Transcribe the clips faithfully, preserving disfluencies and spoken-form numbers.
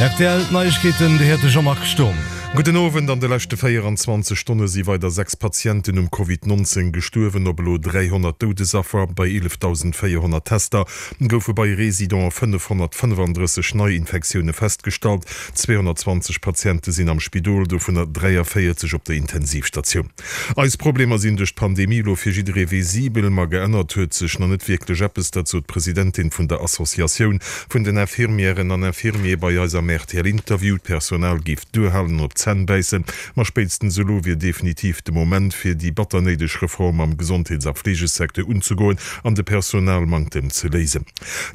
R T L Neiegkeeten, de Här Jean-Marc Sturm. Gudden Owend. An de leschte véieranzwanzeg Stonne si weider sechs Patienten um Covid neunzéng gestuerwen, op elo dräihonnert Doudesaffer. Bei eelefdausendvéierhonnert Tester goufe bei Residenten fënnefhonnertfënnefandrësseg Neiinfektioune festgestallt. Zweehonnertzwanzeg Patiente sinn am Spidol, dovunner dräiavéierzeg op der Intensivstatioun. Eis Problemer sinn duerch d'Pandemie elo fir jidderee visibel, ma geännert huet sech nach net wierklech eppes, dat sot d'Presidentin vun der Associatioun vun den Infirmièren an Infirmiere bei eis am R T L-Interview. D'Personal géif duerhalen an op d'Zänn bäissen, ma spéitstens elo wier definitiv de Moment, fir déi batter néideg Reform am Gesondheets a Fleegesecteur unzegoen an de Personalmanktem ze léisen.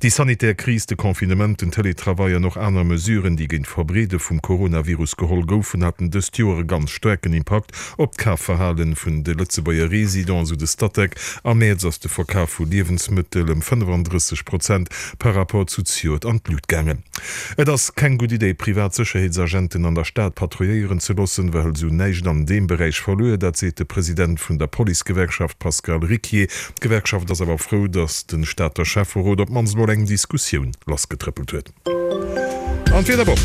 Déi sanitär Kris, de Confinement, den Télétravail an och aner Mesuren, déi géint d'Verbreede vum Coronavirus geholl goufen, haten dëst Joer e ganz staarken Impakt op d'Kafverhalen vun de Lëtzebuerger Residenten, esou de Statec. Am Mäerz ass de Verkaf vu Liewensmëttel ëm fënnefandrësseg Prozent par rapport zu zejoert an d'Lut gaangen. Et ass keng gutt Idee, privat Sécherheetsagenten an der Stad patrouilléieren ze loossen, well esou näischt an deem Beräich verluer. Dat seet de President vun der Policegewerkschaft Pascal Ricquier. D'Gewerkschaft ass awer frou, datt de Stater Schäfferot op d'mannst mol eng Diskussioun lassgetrëppelt huet. An d'Wiederwoch.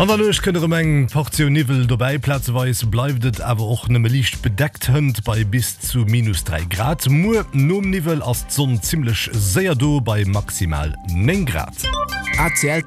An der Nuecht kënnt erëm eng Portioun Niwwel dobäi. Plazeweis bleift et awer och nëmme liicht bedeckt, hënt bei bis zu minus dräi Grad. Muer nom Niwwel ass d'Sonn zimmlech séier do bei maximal néng Grad. A C L.